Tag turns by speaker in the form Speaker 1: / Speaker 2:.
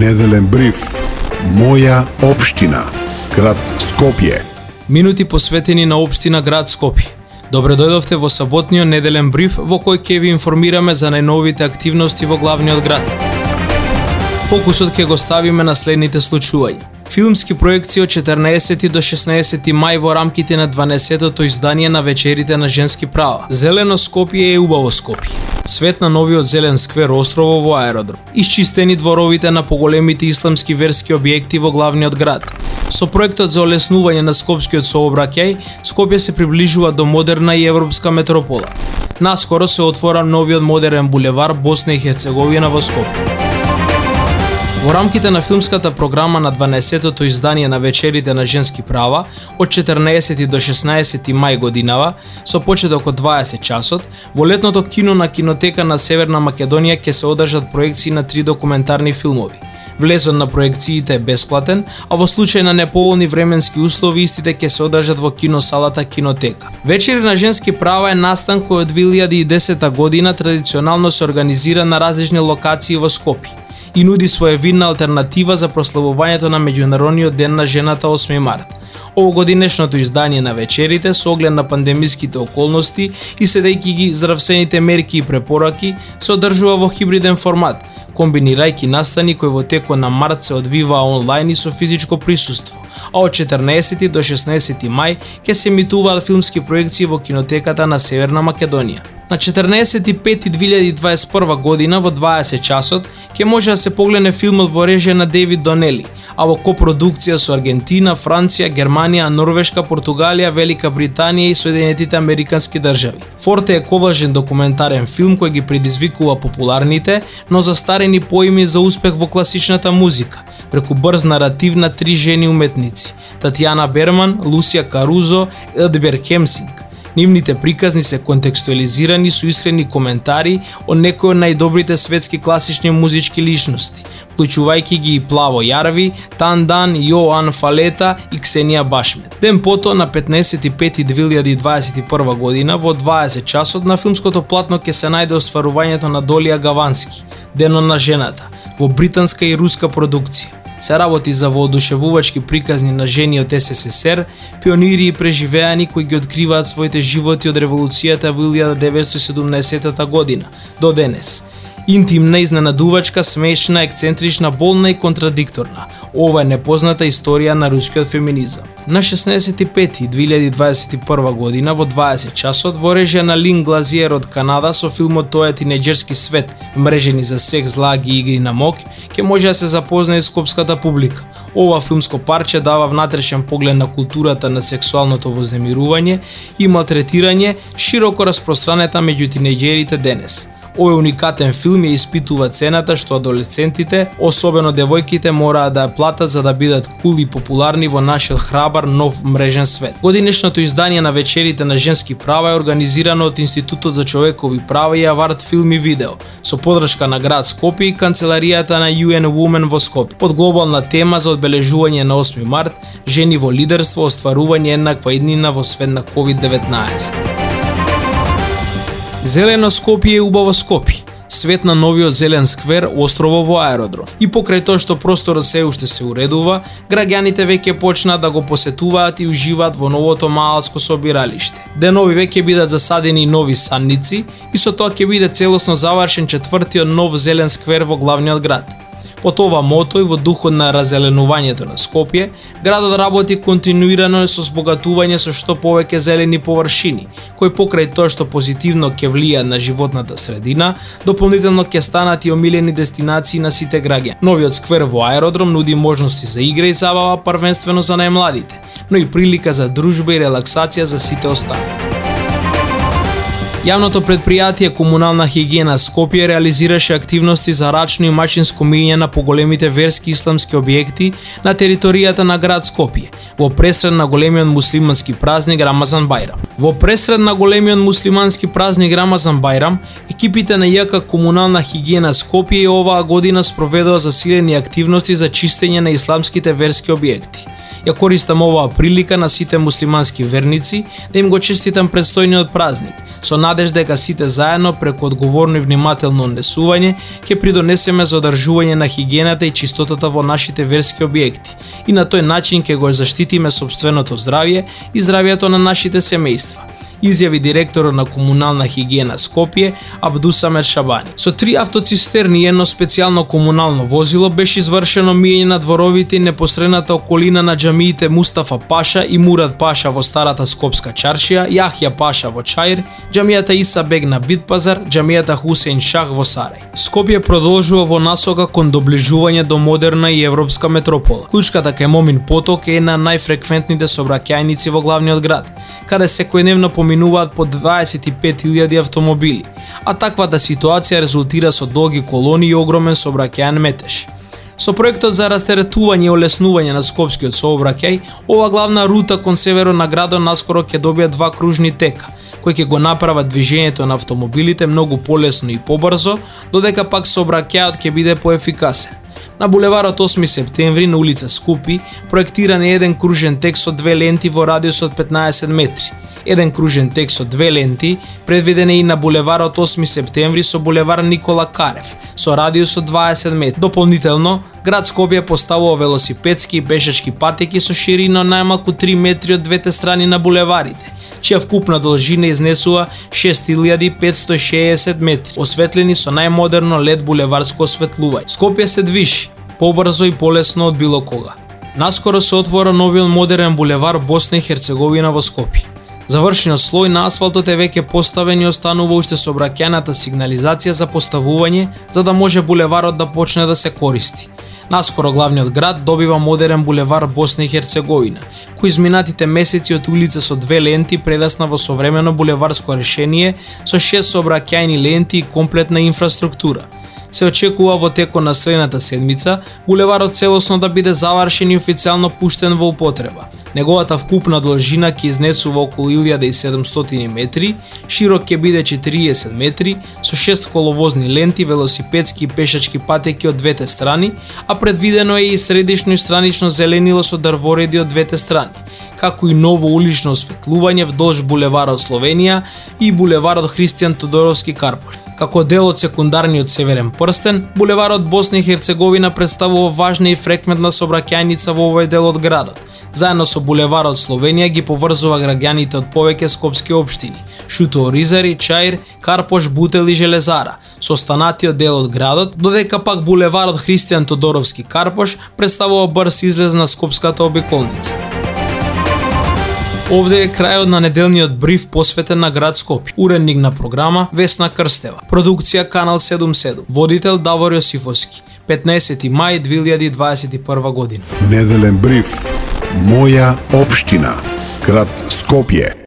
Speaker 1: Неделен бриф. Моја општина, град Скопје.
Speaker 2: Минути посветени на општина град Скопје. Добре дојдовте во саботниот неделен бриф во кој ќе ви информираме за најновите активности во главниот град. Фокусот ќе го ставиме на следните случувања. Филмски проекции од 14 до 16 мај во рамките на 12-тото издание на вечерите на женски права. Зелено Скопје е убаво Скопје. Свет на новиот зелен сквер острово во аеродром. Исчистени дворовите на поголемите исламски верски објекти во главниот град. Со проектот за олеснување на скопскиот сообраќај, Скопје се приближува до модерна и европска метропола. Наскоро се отвора новиот модерен булевар Босна и Херцеговина во Скопје. Во рамките на филмската програма на 12-тото издание на вечерите на женски права од 14 до 16 мај годинава, со почеток од 20 часот, во летното кино на кинотека на Северна Македонија ќе се одржат проекции на 3 документарни филмови. Влезот на проекциите е бесплатен, а во случај на неповолни временски услови истите ќе се одржат во киносалата Кинотека. Вечери на женски права е настан кој од 2010 година традиционално се организира на различни локации во Скопје и нуди своевидна алтернатива за прославувањето на Меѓународниот ден на жената 8 март. Овогодинешното издание на вечерите со оглед на пандемиските околности и следејќи ги здравствените мерки и препораки се одржува во хибриден формат, комбинирајќи настани кои во текот на март се одвиваа онлайн и со физичко присуство, а од 14 до 16 мај ќе се емитуваат филмски проекции во кинотеката на Северна Македонија. На 14.5.2021 година во 20 часот ќе може да се погледне филмот во режија на Дейвид Донели, а во копродукција со Аргентина, Франција, Германија, Норвешка, Португалија, Велика Британија и Соединетите Американски држави. Форте е колажен документарен филм кој ги предизвикува популарните, но застарени поими за успех во класичната музика, преку брз наратив на 3 жени уметници: Татјана Берман, Лусија Карузо, Едбер Хемсинг. Нивните приказни се контекстуализирани со искрени коментари од некои од најдобрите светски класични музички личности, вклучувајќи ги и Плаво Јарви, Тандан, Јоан Фалета и Ксенија Башмет. Ден пото, на 15.5.2021 година, во 20 часот на филмското платно ќе се најде остварувањето на Долија Гавански, Денот на жената, во британска и руска продукција. Се работи за воодушевувачки приказни на жени од СССР, пионири и преживеани кои ги откриваат своите животи од револуцијата во 1917 година до денес. Интимна, изненадувачка, смешна, ексцентрична, болна и контрадикторна. Ова е непозната историја на рускиот феминизам. На 16.5.2021 година во 20 часот во режија на Лин Глазиер од Канада со филмот Тој е тинеџерски свет, мрежени за секс, лаги и игри на мок, ќе може да се запознае скопската публика. Ова филмско парче дава внатрешен поглед на културата на сексуалното вознемирување и малтретирање широко распространета меѓу тинеџерите денес. Овој уникатен филм ја испитува цената што адолесцентите, особено девојките, мораат да ја платат за да бидат кул и популарни во нашиот храбар нов мрежен свет. Годинешното издание на вечерите на женски права е организирано од Институтот за човекови права и Аварт филм и видео, со подршка на град Скопје и канцеларијата на UN Women во Скопје, под глобална тема за одбележување на 8 март, жени во лидерство, остварување еднаква иднина во свет на COVID-19. Зелено Скопје е убаво Скопје. Свет на новиот зелен сквер острово во аеродром. И покрај тоа што просторот се уште се уредува, граѓаните веќе почнаа да го посетуваат и уживаат во новото маалско собиралиште. Денови веќе бидат засадени нови садници и со тоа ќе биде целосно завршен 4-тиот нов зелен сквер во главниот град. Под ова мото и во духот на раззеленувањето на Скопје, градот работи континуирано со збогатување со што повеќе зелени површини, кои покрај тоа што позитивно ќе влијаат на животната средина, дополнително ќе станат и омилени дестинации на сите граѓани. Новиот сквер во аеродром нуди можности за игра и забава првенствено за најмладите, но и прилика за дружба и релаксација за сите остали. Јавното предпријатие Комунална хигиена Скопје реализираше активности за рачно и мачинско миење на поголемите верски исламски објекти на територијата на град Скопје, во пресред на големиот муслимански празник Рамазан Бајрам. Во пресред на големиот муслимански празник Рамазан Бајрам, екипите на ЈК Комунална хигиена Скопје и оваа година спроведоа засилени активности за чистење на исламските верски објекти. Ја користам оваа прилика на сите муслимански верници да им го честитам предстојниот празник, со надежда дека сите заедно преку одговорно и внимателно однесување ќе придонесеме за одржување на хигиената и чистотата во нашите верски објекти и на тој начин ќе го заштитиме сопственото здравје и здравјето на нашите семејства, изјави директорот на комунална хигиена Скопје Абдусамет Шабани. Со 3 автоцистерни и едно специјално комунално возило беше извршено миење на дворовите и непосредната околина на џамиите Мустафа Паша и Мурад Паша во Старата Скопска чаршија, Јахја Паша во Чаир, џамијата Иса Бег на Битпазар, џамијата Хусеин Шах во Сарај. Скопје продолжува во насока кон доближување до модерна и европска метропола. Клучката кај Момин поток е една најфреквентните сообраќајници во главниот град, каде секојдневно поминуваат по 25.000 автомобили, а таквата ситуација резултира со долги колони и огромен сообраќајен метеж. Со проектот за растеретување и олеснување на скопскиот сообраќај, ова главна рута кон северот на градот наскоро ќе добие 2 кружни тека, кои ќе го направат движењето на автомобилите многу полесно и побрзо, додека пак сообраќајот ќе биде поефикасен. На булеварот 8 септември на улица Скупи проектиран е еден кружен тек со 2 ленти во радиус од 15 метри. Еден кружен тек со 2 ленти предвиден е и на булеварот 8 септември со булевар Никола Карев со радиус од 20 метри. Дополнително, град Скопје поставува велосипедски и пешачки патеки со ширина најмалку 3 метри од двете страни на булеварите, чија вкупна должина изнесува 6560 метри, осветлени со најмодерно LED булеварско осветлување. Скопје се движи побрзо и полесно од било кога. Наскоро се отвора новиот модерен булевар Босна и Херцеговина во Скопје. Завршениот слој на асфалтот е веќе поставен и останува уште сообраќајната сигнализација за поставување, за да може булеварот да почне да се користи. Наскоро главниот град добива модерен булевар Босна и Херцеговина, кој изминатите месеци од улица со 2 ленти прерасна во современо булеварско решение со 6 сообраќајни ленти и комплетна инфраструктура. Се очекува во текот на следната седмица булеварот целосно да биде завршен и официјално пуштен во употреба. Неговата вкупна должина ќе изнесува околу 1700 метри, широк ќе биде 40 метри, со 6 коловозни ленти, велосипедски и пешачки патеки од двете страни, а предвидено е и средишно и странично зеленило со дрвореди од двете страни, како и ново улично осветлување вдолж булеварот Словенија и булеварот Христијан Тодоровски Карпош. Како дел од секундарниот северен прстен, булеварот Босна и Херцеговина представува важна и фреквентна сообраќајница во овој дел од градот. Заедно со булеварот Словенија ги поврзува граѓаните од повеќе скопски општини: Шуто Оризари, Чаир, Карпош, Бутел и Железара, со останатиот дел од градот, додека пак булеварот Христијан Тодоровски Карпош представува брз излез на скопската обиколница. Овде е крајот на неделниот бриф посветен на град Скопје. Уредник на програма Весна Крстева. Продукција Канал 77. Водител Давор Јосифовски. 15 мај 2021 година.
Speaker 1: Неделен бриф. Моја општина. Град Скопје.